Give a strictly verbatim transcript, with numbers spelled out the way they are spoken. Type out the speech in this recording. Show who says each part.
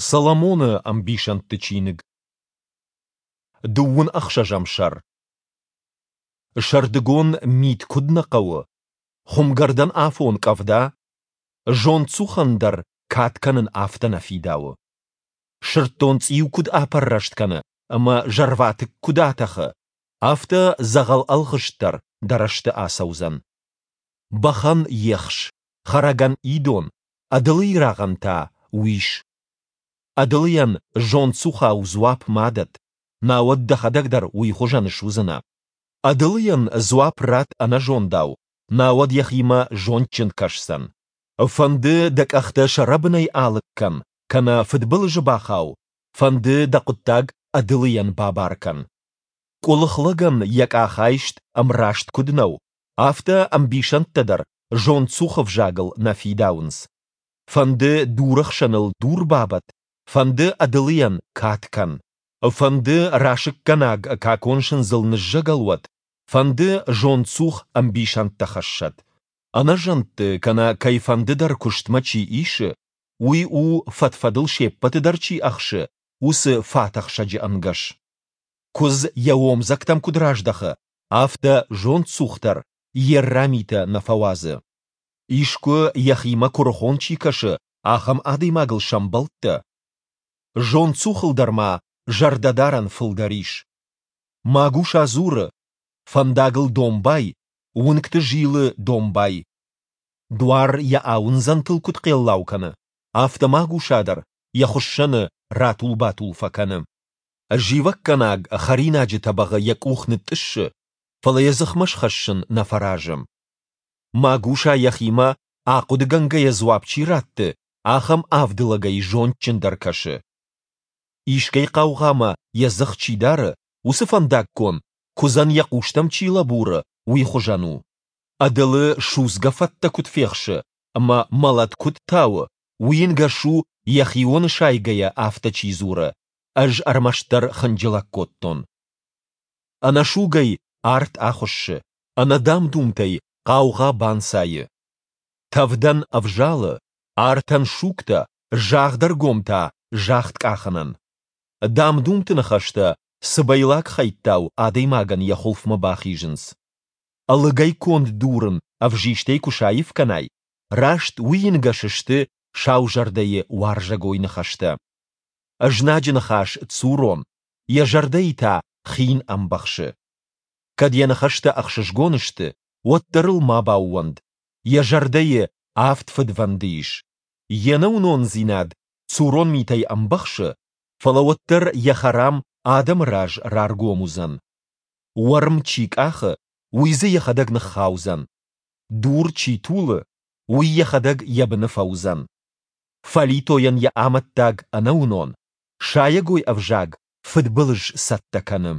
Speaker 1: Соломоны ӕмбисӕндты чиныг. Дыууын ӕхсӕзӕм сӕр. Сӕрдыгон мит куыд нӕ хъӕуы, хуымгӕрдӕн афон къӕвда, зондцухӕн дӕр кад кӕнын афтӕ нӕ фидауы. Сырддонцъиу куыд апӕррӕст кӕны ӕмӕ зӕрватыкк куыд атӕхы, афтӕ дзӕгъӕл ӕлгъыст дӕр дӕ рӕзты ацӕудзӕн. Бӕхӕн ехс, хӕрӕгӕн идон, ӕдылыйы рагъӕн та уис. Ӕдылыйӕн зондцухау дзуапп ма дӕтт, науӕд дӕхӕдӕг дӕр уый хуызӕн суыдзынӕ. Ӕдылыйӕн дзуапп ратт ӕнӕзондау, науӕд йӕхимӕ зондджын кӕсдзӕн. Фӕнды дӕ къӕхтӕ сӕ рӕбынӕй алыг кӕн, кӕнӕ фыдбылызы бахау, фӕнды дӕ хъуыддаг ӕдылыйӕн бабар кӕн. Къуылых лӕгӕн йӕ къахайст ӕмраст куыд нӕу, афтӕ ӕмбисӕндтӕ дӕр зондцухы взагыл нӕ фидауынц. Фӕнды дурӕхсӕныл дур бабӕтт, фӕнды ӕдылыйӕн кад кӕн. Фӕнды расыггӕнаг какон сындзыл ныззӕгӕл уӕд, фӕнды зондцух ӕмбисӕндтӕ хӕссӕд. Ӕнӕзӕндты кӕнӕ кӕйфӕнды дӕр куыстмӕ чи исы, уый у, фӕд-фӕдыл се ппӕты дӕр чи ӕхсы, уыцы фатӕхсӕджы ӕнгӕс. Куыдз йӕ омдзӕгтӕм куыд раздӕхы, афтӕ зондцух дӕр йе рра митӕ нӕ фӕуадзы. Искуы йӕхимӕ куырыхон чи кӕсы, ахӕм адӕймагыл сӕмбӕлдтӕ? Зондцухыл дӕр ма зӕрдӕдарӕн фылдӕр ис. Магуса дзуры: Фӕндагыл домбай, уынгты зилы домбай. Дуар йӕ ауындзӕнтыл куыд хъеллау кӕны, афтӕ магуса дӕр йӕ хуыссӕны ратул-батул фӕкӕны. Зивӕггӕнаг хӕринаджы тӕбӕгъы йӕ къух нытътъыссы, фӕлӕ йӕ дзыхмӕ схӕссын нӕ фӕразы. Магуса йӕхимӕ ахъуыдыгӕнгӕйӕ дзуапп чи ратты, ахӕм авд лӕгӕй зондджындӕр кӕсы. Искӕй хъаугъамӕ йӕ дзых чи дары, уыцы фӕндаггон, куыдзӕн йӕ хъустӕм чи лӕбуры, уый хуызӕн у. Ӕдылы судзгӕ фӕттӕ куыд фехсы ӕмӕ мӕлӕт куыд тауы, уый ӕнгӕс у, йӕхионы сайгӕйӕ афтӕ чи дзуры, ӕз ӕрмӕстдӕр хынджылӕг кодтон. Ӕнӕсугӕй арт ахуыссы, ӕнӕ дам-думтӕй хъаугъа банцайы. Тӕвдӕн ӕвзалы, артӕн сугтӕ, загъдӕргом та загъд къахынӕн. Дам-думты ныхӕстӕ цыбӕйлаг хӕйттау адӕймагӕн йӕ хуылфмӕ бахизынц. Ӕлыгӕй конд дурын ӕвзистӕй куы саив кӕнай, раст уый ӕнгӕс сты саузӕрдӕйы уарзӕгой ныхӕстӕ. Ӕзнаджы ныхас цурон, йӕ зӕрдӕйы та хин ӕмбӕхсы. Кӕд йӕ ныхӕстӕ ӕхсызгон сты, уӕддӕр ыл ма баууӕнд, йӕ зӕрдӕйы авд фыдвӕнды ис. Йе нӕуынондзинад цурон митӕй ӕмбӕхсы, фӕлӕ уӕддӕр йӕ хӕрам адӕмы раз раргом уыдзӕн. Уӕрм чи къахы, уый дзы йӕхӕдӕг ныххаудзӕн. Дур чи тулы, уый йӕхӕдӕг йӕ быны фӕуыдзӕн. Фӕлитойӕн йӕ амӕттаг ӕнӕуынон, сайӕгой ӕвзаг фыдбылыз цӕттӕ кӕны.